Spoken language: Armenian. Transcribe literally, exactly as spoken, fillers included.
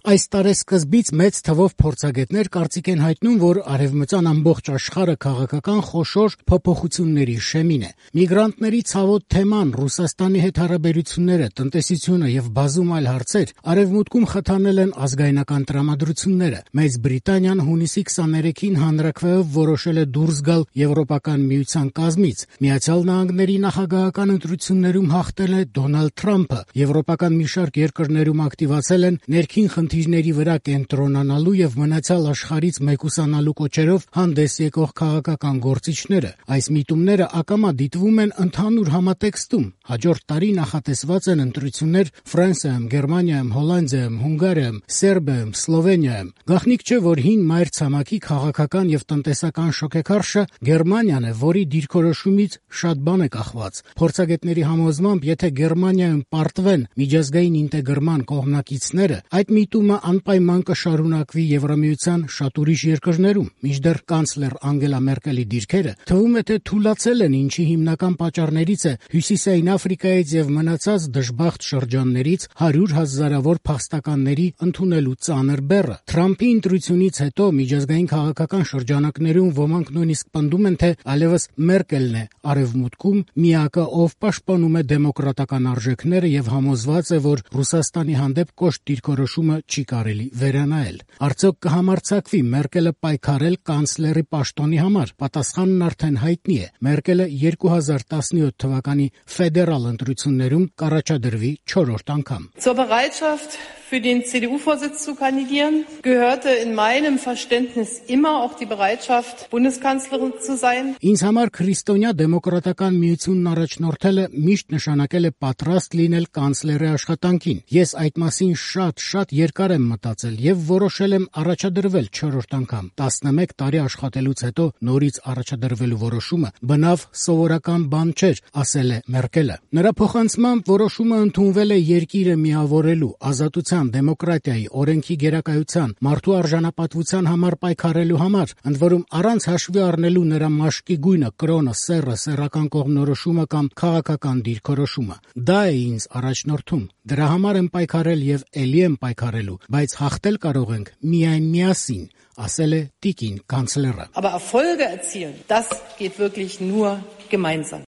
Այս տարեսկզբից մեծ թվով փորձագետներ կարծիք են հայտնում, որ արևմտյան ամբողջ աշխարհը քաղաքական խոշոր փոփոխությունների շեմին է։ Միգրանտների ցավոտ թեման, Ռուսաստանի հետ հարաբերությունները, տնտեսությունը եւ բազում այլ հարցեր արևմուտքում խթանել են ազգայնական տրամադրությունները։ Մեծ Բրիտանիան հունիսի քսաներեքին հանրաքվեով որոշել է դուրս գալ Եվրոպական միության կազմից։ Միացյալ Նահանգների նախագահական ընտրություններում հաղթել է Դոնալդ Թրամփը։ Եվրոպական մի շարք երկրներում ակտիվացել են ներքին խնդիրների վրա կենտրոնանալու եւ մնացյալ աշխարհից մեկուսանալու կոչերով հանդես եկող քաղաքական գործիչները։ Այս միտումները ակամա դիտվում են ընդհանուր համատեքստում։ Հաջորդ տարի նախատեսված են ընտրություններ Ֆրանսիայում, Գերմանիայում, Հոլանդիայում, Հունգարիայում, Սերբիայում, Սլովենիայում։ Գաղտնիք չէ, որ հին մայր ցամաքի քաղաքական եւ տնտեսական շոկեքարշը Գերմանիան է, որի դիրքորոշումից շատ բան է կախված։ Փորձագետների համոզմամբ, եթե Գերմանիայում պարտվեն միջազգային ինտեգրման կողմնակիցները, այդ միտումը անպայման կշարունակվի Եվրամիության շատ ուրիշ երկրներում։ Մինչդեռ կանցլեր Անգելա Մերկելի դիրքերը թվում է թե թուլացել են, ինչի հիմնական պատճառներից է Հյուսիսային Աֆրիկայից եւ մնացած դժբախտ շրջաններից հարյուր հազարավոր փախստականների ընդունելու ծանր բեռը։ Թրամփի ընտրությունից հետո միջազգային քաղաքական շրջանակներում ոմանք նույնիսկ պնդում են, թե այլևս Մերկելն է արևմուտքում միակը, ով պաշտպանում է դեմոկրատական արժեքները եւ համոզված է, որ Ռուսաստանի հանդեպ կոշտ դիրքորոշումը չի կարելի վերանայել։ Արդյոք կհամարձակվի Մերկելը պայքարել կանցլերի պաշտոնի համար։ Պատասխանն արդեն հայտնի է։ Մերկելը երկու հազար տասնյոթ թվականի ֆեդերալ ընտրություններում կառաջադրվի չորրորդ անգամ։ Zur Bereitschaft für den C D U-Vorsitz zu kandidieren gehörte in meinem Verständnis immer auch die Bereitschaft, Bundeskanzlerin zu sein. Ինձ համար քրիստոնյա դեմոկրատական միությունն առաջնորդելը միշտ նշանակել է պատրաստ լինել կանցլերի աշխատանքին։ Ես այդ մասին շատ-շատ երկար եմ մտածել եւ որոշել եմ առաջադրվել չորրորդ անգամ։ տասնմեկ տարի աշխատելուց հետո նորից առաջադրվելու որոշումը բնավ սովորական բան չէր, ասել է Մերկելը։ Նրա փոխանցմամբ որոշումը ընդունվել է երկիրը միավորելու, ազատության, դեմոկրատիայի, օրենքի գերակայության, մարդու արժանապատվության համար պայքարելու համար, ընդ որում առանց հաշվի առնելու նրա մաշկի գույնը, կրոնը, սեռը, սեռական կողմնորոշումը կամ քաղաքական դիրքորոշումը։ Դա է ինձ առաջնորդում։ Դրա համար եմ պայքարել եւ ելի եմ պայքարելու, բայց հաղթել կարող ենք միայն միասին, ասել է տիկին կանցլերը։ Aber Erfolge erzielen, das geht wirklich nur gemeinsam.